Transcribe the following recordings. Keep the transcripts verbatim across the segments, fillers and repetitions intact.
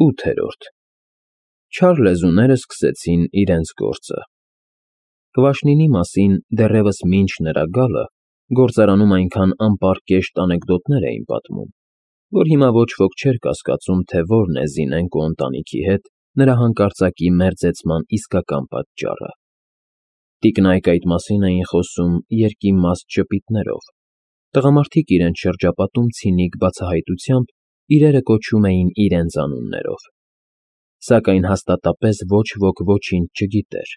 ՈՒԹԵՐՈՐԴ Չար լեզուները սկսեցին իրենց գործը։ Կվաշնինի մասին դեռևս մինչ նրա գալը գործարանում այնքան անպարկեշտ անեկդոտներ էին պատմում, որ հիմա ոչ ոք չէր կասկածում, թե որն է Զինենկո ընտանիքի հետ նրա հանկարծակի մերձեցման իսկական պատճառը։ Տիկնայք այդ մասին էին խոսում երկիմաստ ժպիտներով, տղամարդիկ իրենց շրջապատում ցինիկ բացահայտությամբ իրերը կոչում էին իրենց անուններով։ Սակայն հաստատապես ոչ ոք ոչինչ չգիտեր,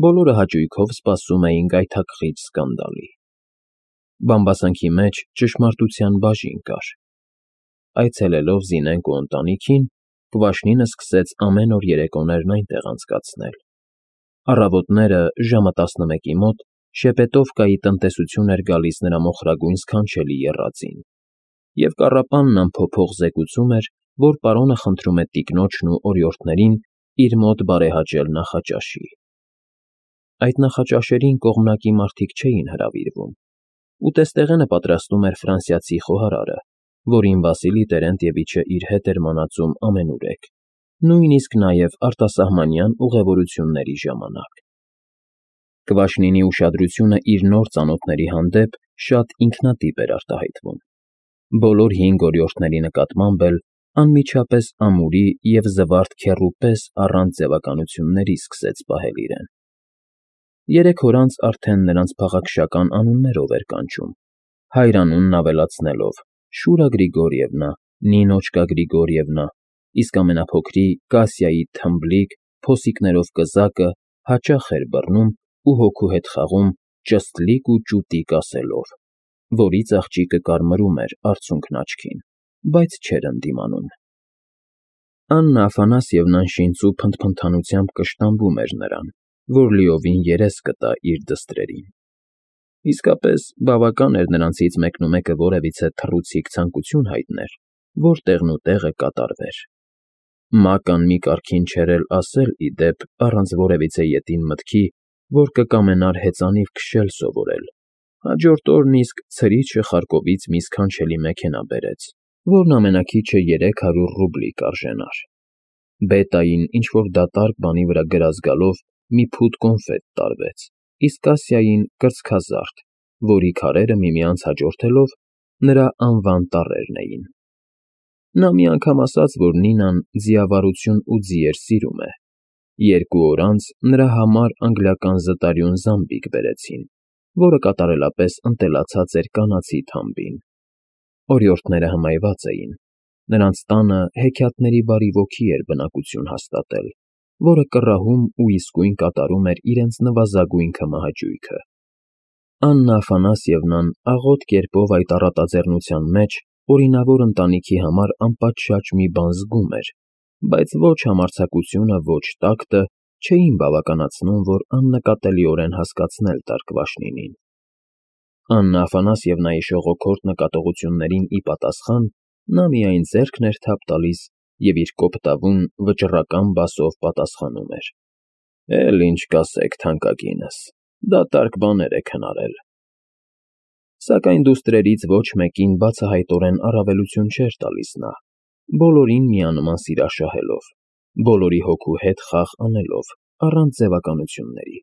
բոլորը հաճույքով սպասում էին գայթակղիչ սկանդալի։ Բամբասանքի մեջ ճշմարտության բաժին կար։ Այցելելով Զինենկո ընտանիքին, Կվաշնինը սկսեց ամեն օր երեկոներն այնտեղ անցկացնել։ Առավոտները ժամը տասնմեկի մոտ Շեպետովկայի տնտեսություն էր գալիս նրա մոխրագույն սքանչելի եռածին, և կառապանն անփոփոխ զեկուցում էր, որ պարոնը խնդրում է տիկնոջն ու օրիորդներին իր մոտ բարեհաճել նախաճաշի։ Այդ նախաճաշերին կողմնակի մարդիկ չէին հրավիրվում։ Ուտեստեղենը պատրաստում էր ֆրանսիացի խոհարարը, որին Վասիլի Տերենտիևիչը իր հետ էր մանածում ամենուրեք, նույնիսկ նաև արտասահմանյան ուղևորությունների ժամանակ։ Կվաշնինի ուշադրությունը իր նոր ծանոթների հանդեպ շատ ինքնատիպ էր արտահայտվում։ Բոլոր հինգ օրիորդների նկատմամբ էլ անմիջապես ամուրի և զվարթ քեռու պես առանց ձևականությունների սկսեց պահել իրեն։ Երեք օր անց արդեն նրանց փաղաքշական անուններով էր կանչում, հայրանունն ավելացնելով Շուրա Գրիգորիևնա, Նինոչկա Գրիգորիևնա, իսկ ամենափոքրի Կասյայի թմբլիկ, փոսիկներով կզակը հաճախ էր բռնում ու հոգու հետ խաղում ճստլիկ ու ճուտիկ ասելով, որից աղջիկը կարմրում էր արցունքն աչքին, բայց չէր ընդդիմանում։ Աննա Աֆանասьևնան շինծու փնթփնթանությամբ կշտամբում էր նրան, որ լիովին երես կտա իր դստրերին։ Իսկապես բավական էր նրանցից մեկնումեկը որևիցե թռուցիկ ցանկություն հայտներ, որ տեղնուտեղը կատարվեր։ Մական մի կարգին չէր էլ ասել, ի դեպ, առանց որևիցե ետին մտքի, որ կկամենար հեծանիվ քշել սովորել։ Հաջորդ օրն իսկ ցրիչը Խարկովից մի սքանչելի մեքենա բերեց, որն ամենաքիչը երեք հարյուր ռուբլի կարժենար։ Բետային ինչ֊որ դատարկ բանի վրա գրած գալով մի փուտ կոնֆետ տարվեց, իսկ Կասյային կրծքազարդ, որի քարերը միմյանց հաջորդելով նրա անվան տառերն էին։ Նա մի անգամ ասաց, որ Նինան ձիավարություն ու ձիեր սիրում է։ Երկու օր անց նրա համար անգլիական զտարյուն զամբիկ բերեցին, որը կատարելապես ընտելացած էր կանացի թամբին։ Օրիորդները հմայված էին։ Նրանց տանը հեքիաթների բարի ոգի էր բնակություն հաստատել, որը կռահում ու իսկույն կատարում էր իրենց նվազագույն քմահաճույքը։ Աննա Աֆանասьևնան աղոտ կերպով այդ առատաձեռնության մեջ օրինավոր ընտանիքի համար անպատշաճ մի բան զգում էր, բայց ոչ համարձակությունը, ոչ տակտը չէին բավականացնում, որ աննկատելիորեն հասկացնել տար Կվաշնինին։ Աննա Աֆանասьևնայի շողոքորթ նկատողություններին ի պատասխան նա միայն ձեռքն էր թափ տալիս և իր կոպտավուն, վճռական բասով պատասխանում էր. «Էլ ինչ կասեք, թանկագինս, դատարկ բաներ եք հնարել»։ Սակայն դուստրերից ոչ մեկին բացահայտորեն առավելություն չէր տալիս նա, բոլորին միանման սիրաշահելով, բոլորի հոգու հետ խաղ անելով, առանց ձևականությունների։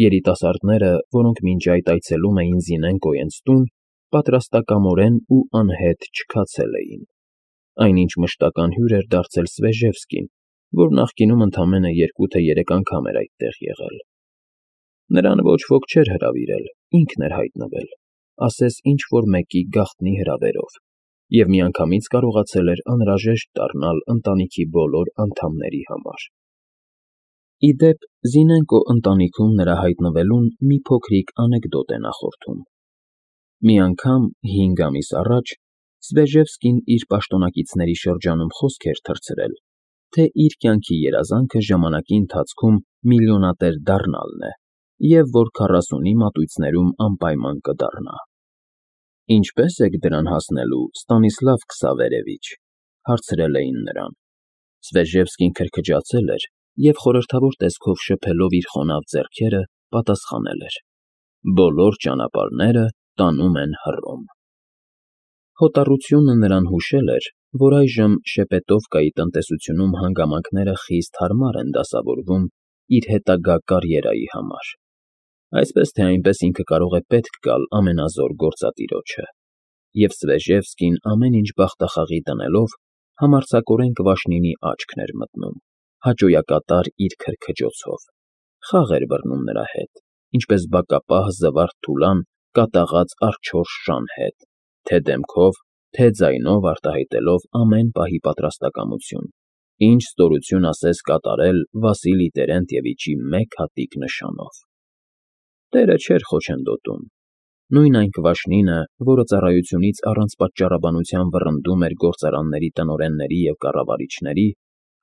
Երիտասարդները, որոնք մինչ այդ այցելում էին Զինենկոյենց տուն, պատրաստակամորեն ու անհետ չքացել էին։ Այնինչ մշտական հյուր էր դարձել Սվեժևսկին, որ նախկինում ընդամենը երկու թե երեք անգամ էր այդտեղ եղել։ Նրան ոչ ոք չէր հրավիրել, ինքն էր հայտնվել, ասես ինչ֊որ մեկի գաղտնի հրավերով, և միանգամից կարողացել էր անհրաժեշտ դառնալ ընտանիքի բոլոր անդամների համար։ Ի դեպ, Զինենկո ընտանիքում նրա հայտնվելուն մի փոքրիկ անեկդոտ է նախորդում։ Մի անգամ, հինգ ամիս առաջ, Սվեժևսկին իր պաշտոնակիցների շրջանում խոսք էր թռցրել, թե իր կյանքի երազանքը ժամանակի ընթացքում միլիոնատեր դառնալն է, և որ քառասունի մատույցներում անպայման կդառնա։ «Ինչպե՞ս եք դրան հասնելու, Ստանիսլավ Քսավերևիչ», հարցրել էին նրան։ Սվեժևսկին քրքջացել էր և խորհրդավոր տեսքով շփելով իր խոնավ ձեռքերը, պատասխանել էր. «Բոլոր ճանապարհները տանում են Հռոմ»։ Հոտառությունը նրան հուշել էր, որ այժմ Շեպետովկայի տնտեսությունում հանգամանքները խիստ հարմար են դասավորվում իր հետագա կարիերայի համար, այսպես թե այնպես ինքը կարող է պետք գալ ամենազոր գործատիրոջը, և Svezhevsky-ն ամեն ինչ բախտախաղի դնելով համարձակորեն Կվաշնինի աչքն էր մտնում, հաճոյակատար իր քրքջոցով, խաղ էր բռնում նրա հետ, ինչպես բակապահ զվարթ թուլան կատաղած արջորշ շան հետ, թե դեմքով, թե ձայնով արտահայտելով ամեն պահի պատրաստակամություն, ինչ ստորություն ասես կատարել Վասիլի Տերենտևիչի մեկ հատիկ նշանով։ Տերը չէր խոչընդոտում, նույն այն Կվաշնինը, որը ծառայությունից առանց պատճառաբանության վռնդում էր գործարանների տնօրենների և կառավարիչների,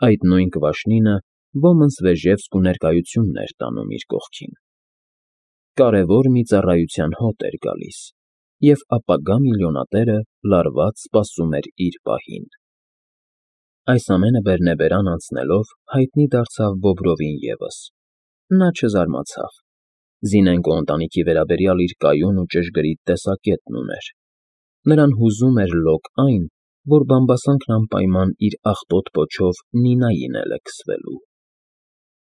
այդ նույն Կվաշնինը ոմն Svezhevsky ներկայությունն էր տանում իր կողքին։ Կարևոր մի ծառայության հոտ էր գալիս, և ապագա միլիոնատերը լարված սպասում էր իր պահին։ Այս ամենը բերնեբերան անցնելով հայտնի դարձավ Բոբրովին ևս։ Նա չզարմացավ։ Զինենկո ընտանիքի վերաբերյալ իր կայուն ու ճշգրիտ տեսակետն ուներ։ Նրան հուզում էր լոկ այն, որ բամբասանքն անպայման իր աղտոտ պոչով Նինային է լքսվելու։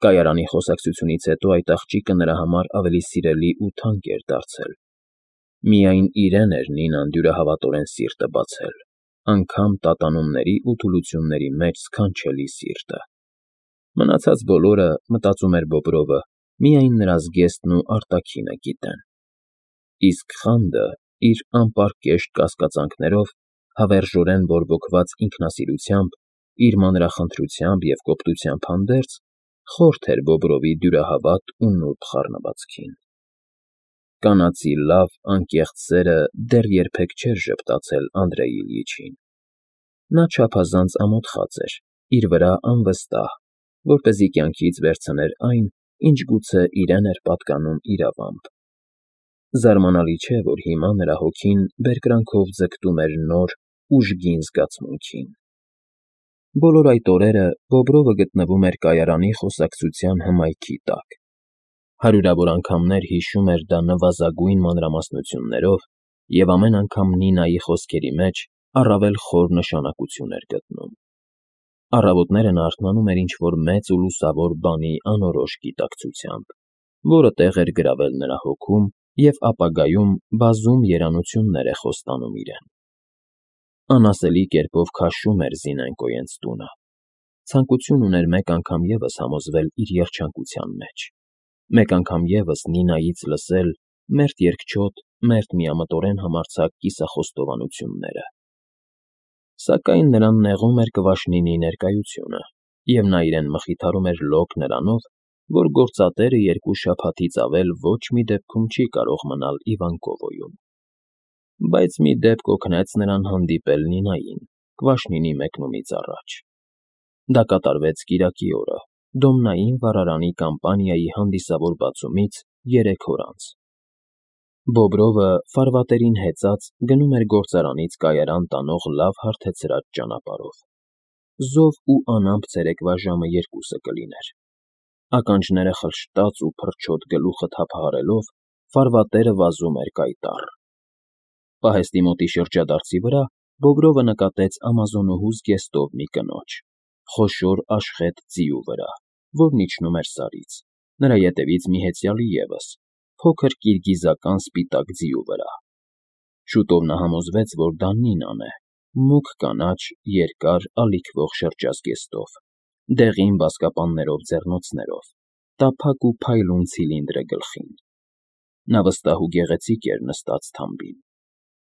Կայարանի խոսակցությունից հետո այդ աղջիկը նրա համար ավելի սիրելի ու թանկ էր դարձել։ Միայն իրեն էր Նինան դյուրահավատորեն սիրտը բացել, անգամ տատանումների ու թուլությունների մեջ սքանչելի սիրտը։ Մնացած բոլորը, մտածում էր Բոբրովը, միայն նրա զգեստն ու արտաքինը գիտեն։ Իսկ խանդը, իր անպարկեշտ կասկածանքներով, հավերժորեն բորբոքված ինքնասիրությամբ, իր մանրախնդրությամբ և կոպտությամբ հանդերձ, խորթ էր Բոբրովի դյուրահավատ ու նուրբ խառնվածքին։ Կանացի լավ, անկեղծ սերը դեռ երբեք չէր ժպտացել Անդրեյ Իլյիչին։ Նա չափազանց ամոթխած էր, իր վրա անվստահ, որպեսզի կյանքից վերցներ այն, ինչ գուցե իրեն էր պատկանում իրավամբ։ Զարմանալի չէ, որ հիմա նրա հոգին բերկրանքով ձգտում էր նոր, ուժգին զգացմունքին։ Բոլոր այդ օրերը Բոբրովը գտնվում էր կայարանի խոսակցության հմայքի տակ։ Հարյուրավոր անգամներ հիշում էր դա նվազագույն մանրամասնություններով և ամեն անգամ Նինայի խոսքերի մեջ առավել խոր նշանակություն էր գտնում։ Առավոտները նա արթնանում էր ինչ-որ մեծ ու լուսավոր բանի անորոշ գիտակցությամբ, որը տեղ էր գրավել նրա հոգում և ապագայում բազում երանություններ է խոստանում իրեն։ Անասելի կերպով քաշում էր Զինենկոյենց տունը։ Ցանկություն ուներ մեկ անգամ ևս համոզվել իր երջանկության մեջ, մեկ անգամ ևս Նինայից լսել մերթ երկչոտ, մերթ միամտորեն համարձակ կիսախոստովանությունները։ Սակայն նրան նեղում էր Կվաշնինի ներկայությունը, և նա իրեն մխիթարում էր լոկ նրանով, որ գործատերը երկու շաբաթից ավել ոչ մի դեպքում չի կարող մնալ Իվանկովոյում։ Բայց մի դեպք օգնեց նրան հանդիպել Նինային Կվաշնինի մեկնումից առաջ։ Դա կատարվեց կիրակի օրը, Դոմնային վառարանի կամպանիայի հանդիսավոր բացումից երեք օր անց։ Բոբրովը, ֆարվատերին հեծած, գնում էր գործարանից կայարան տանող լավ հարթեցրած ճանապարհով։ Զով ու անամպ ցերեկվա ժամը երկուսը կլիներ։ Ականջները խլշտաց ու փռչոտ գլուխը թափահարելով, ֆարվատերը վազում էր կայտառ։ Պահեստի մոտի շրջադարձի վրա Բոբրովը նկատեց ամազոնուհու զգեստով մի կնոջ, խոշոր աշխետ ձիու վրա, որն իջնում էր Սարից, նրա ետևից մի հեծյալի ևս, փոքր կիրգիզական սպիտակ ձիու վրա։ Շուտով նա համոզվեց, որ դա Նինան է, մուգ կանաչ, երկար, ալիքվող շրջազգեստով, դեղին բազկապաններով ձեռնոցներով, տափակ ու փայլուն ցիլինդր է գլխին։ Նա վստահ ու գեղեցիկ էր նստած թամբին։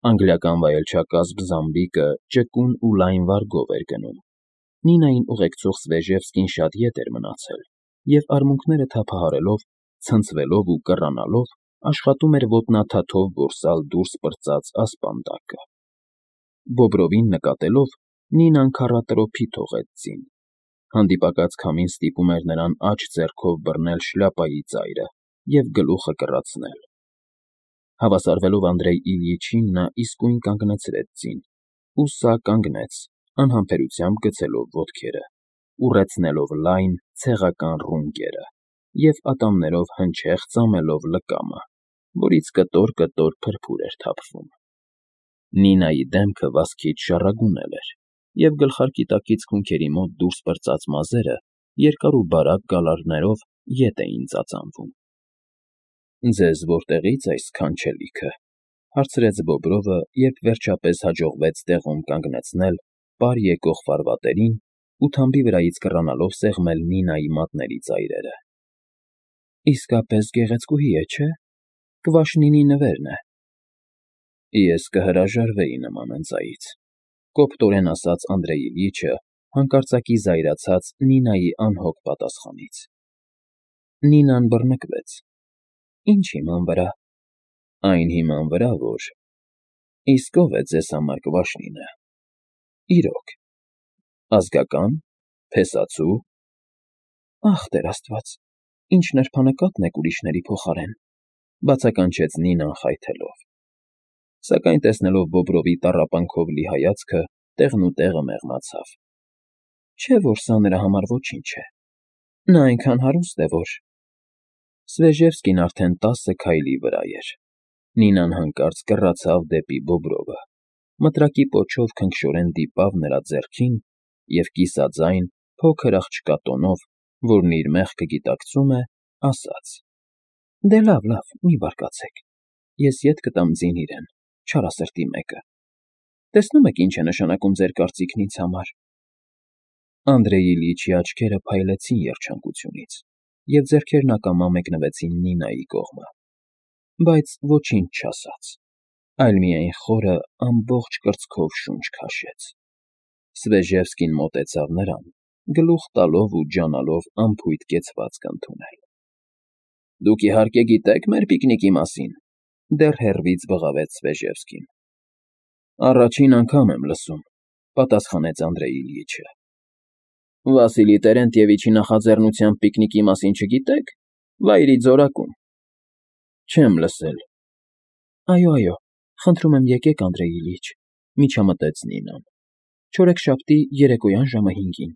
Անգլիական վայելչակազմ զամբիկը ճկուն ու լայն վարգով էր գնում։ Նինային ուղեկցող Svezhevsky-ն շատ ետ էր մնացել և, արմունկները թափահարելով, ցնցվելով ու կռանալով, աշխատում էր ոտնաթաթով որսալ դուրս պրծած ասպանդակը։ Բոբրովին նկատելով՝ Նինան քառատրոփի թողեց ձին։ Հանդիպակաց քամին ստիպում էր նրան աջ ձեռքով բռնել շլյապայի ծայրը և գլուխը կռացնել։ Հավասարվելով Անդրեյ Իլյիչին, նա իսկույն կանգնացրեց ձին, ու սա կանգնեց, անհամբերությամբ գցելով ոտքերը, ուռեցնելով լայն, ցեղական ռունգերը և ատամներով հնչեղ ծամելով լկամը, որից կտոր֊կտոր փրփուր էր թափվում։ Նինայի դեմքը վազքից շառագունել էր, և գլխարկի տակից քունքերի մոտ դուրս պրծած մազերը երկար ու բարակ գալարներով ետ էին ծածանվում։ ֊ Ձեզ որտեղի՞ց այս սքանչելիքը,֊ հարցրեց Բոբրովը, երբ վերջապես հաջողվեց տեղում կանգնեցնել պար եկող ֆարվատերին ու թամբի վրայից կռանալով սեղմել Նինայի մատների ծայրերը։ ֊ Իսկապես գեղեցկուհի է, չէ՞, Կվաշնինի նվերն է։ ֊ Ես կհրաժարվեի նման ընծայից,֊ կոպտորեն ասաց Անդրեյ Իլյիչը, հանկարծակի զայրացած Նինայի անհոգ պատասխանից։ Նինան բռնկվեց։ ֊ Ի՞նչ հիման վրա։ ֊ Այն հիման վրա, որ… Իսկ ո՞վ է ձեզ համար Կվաշնինը։ ֊ Իրոք… Ազգակա՞ն, փեսացու… ֊ Ախ, Տեր Աստված, ինչ նրբանկատն եք ուրիշների փոխարեն,֊ բացականչեց Նինան խայթելով։ Սակայն տեսնելով Բոբրովի տառապանքով լի հայացքը, տեղնուտեղը մեղմացավ։ Չէ՞ որ սա նրա համար ոչինչ է… Նա այնքան հարուստ է, որ… Svezhevsky-ն արդեն տասը քայլի վրա էր։ Նինան հանկարծ կռացավ դեպի Բոբրովը, մտրակի պոչով քնքշորեն դիպավ նրա ձեռքին և կիսաձայն, փոքր աղջկա տոնով, որն իր մեղքը գիտակցում է, ասաց. ֊ Դե լավ, լավ, մի բարկացեք, ես ետ կտամ ձին իրեն, չարասրտի մեկը… Տեսնում եք ինչ է նշանակում ձեր կարծիքն ինձ համար… Անդրեյ Իլյիչի աչքերը փայլեցին երջանկությունից, և ձեռքերն ակամա մեկնվեցին Նինայի կողմը, բայց ոչինչ չասաց, այլ միայն խորը, ամբողջ կրծքով շունչ քաշեց։ Svezhevsky-ն մոտեցավ նրան, գլուխ տալով ու ջանալով անփույթ կեցվածք ընդունել։ ֊ Դուք, իհարկե, գիտեք մեր պիկնիկի մասին,֊ դեռ հեռվից բղավեց Svezhevsky-ն։ ֊ Առաջին անգամ եմ լսում,֊ պատասխանեց Անդրեյ Իլյիչը։ ֊ Վասիլի Տերենտիևիչի նախաձեռնությամբ պիկնիկի մասին չգիտե՞ք, վայրի ձորակում։ ֊ Չեմ լսել։ ֊ Այո, այո, խնդրում եմ, եկեք, Անդրեյ Իլյիչ,֊ միջամտեց Նինան։ Չորեքշաբթի երեկոյան ժամը հինգին…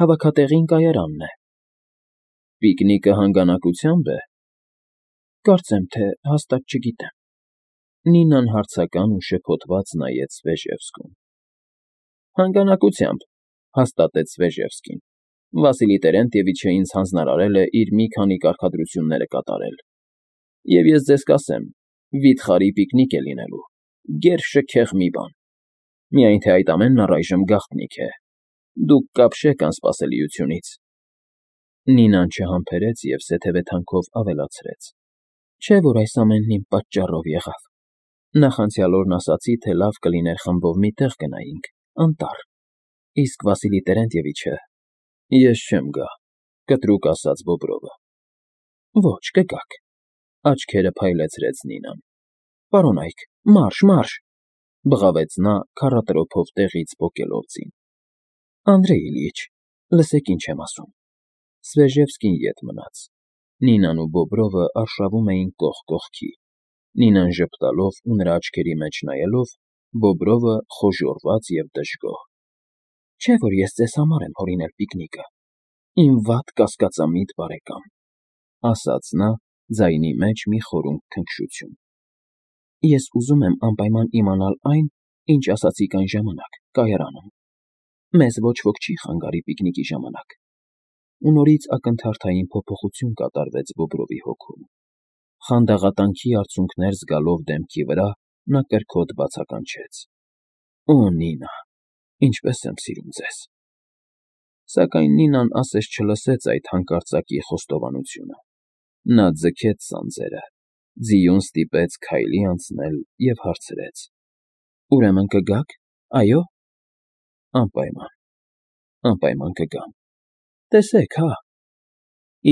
Հավաքատեղին կայարանն է։ ֊ Պիկնիկը հանգանակությա՞նբ է։ ֊ Կարծեմ թե հաստատ չգիտեմ։ Նինան հարցական ու շփոթված նայեց Svezhevsky-ուն։ ֊ Հանգանակությամբ,֊ հաստատեց Svezhevsky-ն։ Վասիլի Տերենտիևիչը ինձ հանձնարարել է իր մի քանի կարգադրությունները կատարել, և ես ձեզ կասեմ, վիթխարի պիկնիկ է լինելու, գերշքեղ մի բան… Միայն թե այդ ամենն առայժմ գաղտնիք է… Դուք կապշեք անսպասելիությունից… Նինան չհամբերեց և սեթևեթանքով ավելացրեց. ֊ Չէ՞ որ այս ամենն իմ պատճառով եղավ… Նախանցյալ օրն ասացի, թե լավ կլիներ խմբով մի տեղ գնայինք, անտառ, իսկ Վասիլի Տերենտիևիչը… ֊ Ես չեմ գա,֊ կտրուկ ասաց Բոբրովը։ ֊ Ոչ, կգաք,֊ աչքերը փայլեցրեց Նինան։ ֊ Պարոնայք, մարշ, մարշ…֊ բղավեց նա, քառատրոփով տեղից պոկելով ձին։ ֊ Անդրեյ Իլյիչ, լսեք, ինչ եմ ասում… Svezhevsky-ն ետ մնաց։ Նինան ու Բոբրովը արշավում էին կողք կողքի, Նինան ժպտալով ու նրա աչքերի մեջ նայելով, Բոբրովը խոժոռված և դժգոհ։ ֊ Չէ՞ որ ես ձեզ համար եմ հորինել պիկնիկը, իմ վատ կասկածամիտ բարեկամ,֊ ասաց նա, ձայնի մեջ մի խորունկ քնքշություն։ ֊ Ես ուզում եմ անպայման իմանալ այն, ինչ ասացիք այն ժամանակ, կայարանում… Մեզ ոչ ոք չի խանգարի պիկնիկի ժամանակ… Ու նորից ակնթարթային փոփոխություն կատարվեց Բոբրովի հոգում… Խանդաղատանքի արցունքներ զգալով դեմքի վրա, նա կրքոտ բացականչեց. ֊ Օ Նինա, ինչպես եմ սիրում ձեզ… Սակայն Նինան ասես չլսեց այդ հանկարծակի խոստովանությունը։ Նա ձգեց սանձերը, ձիուն ստիպեց քայլի անցնել և հարցրեց. ֊ Ուրեմն կգաք, այո՞։ ֊ Անպայման, անպայման կգամ… Տեսեք հա…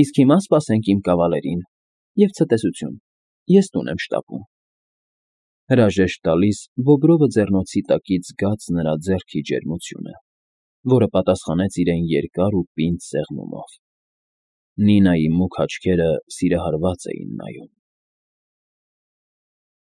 Իսկ հիմա սպասենք իմ կավալերին, և ցտեսություն, ես տուն եմ շտապում… Հրաժեշտ տալիս Բոբրովը ձեռնոցի տակից զգաց նրա ձեռքի ջերմությունը, որը պատասխանեց իրեն երկար ու պինդ սեղմումով։ Նինայի մուգ աչքերը սիրահարված էին նայում։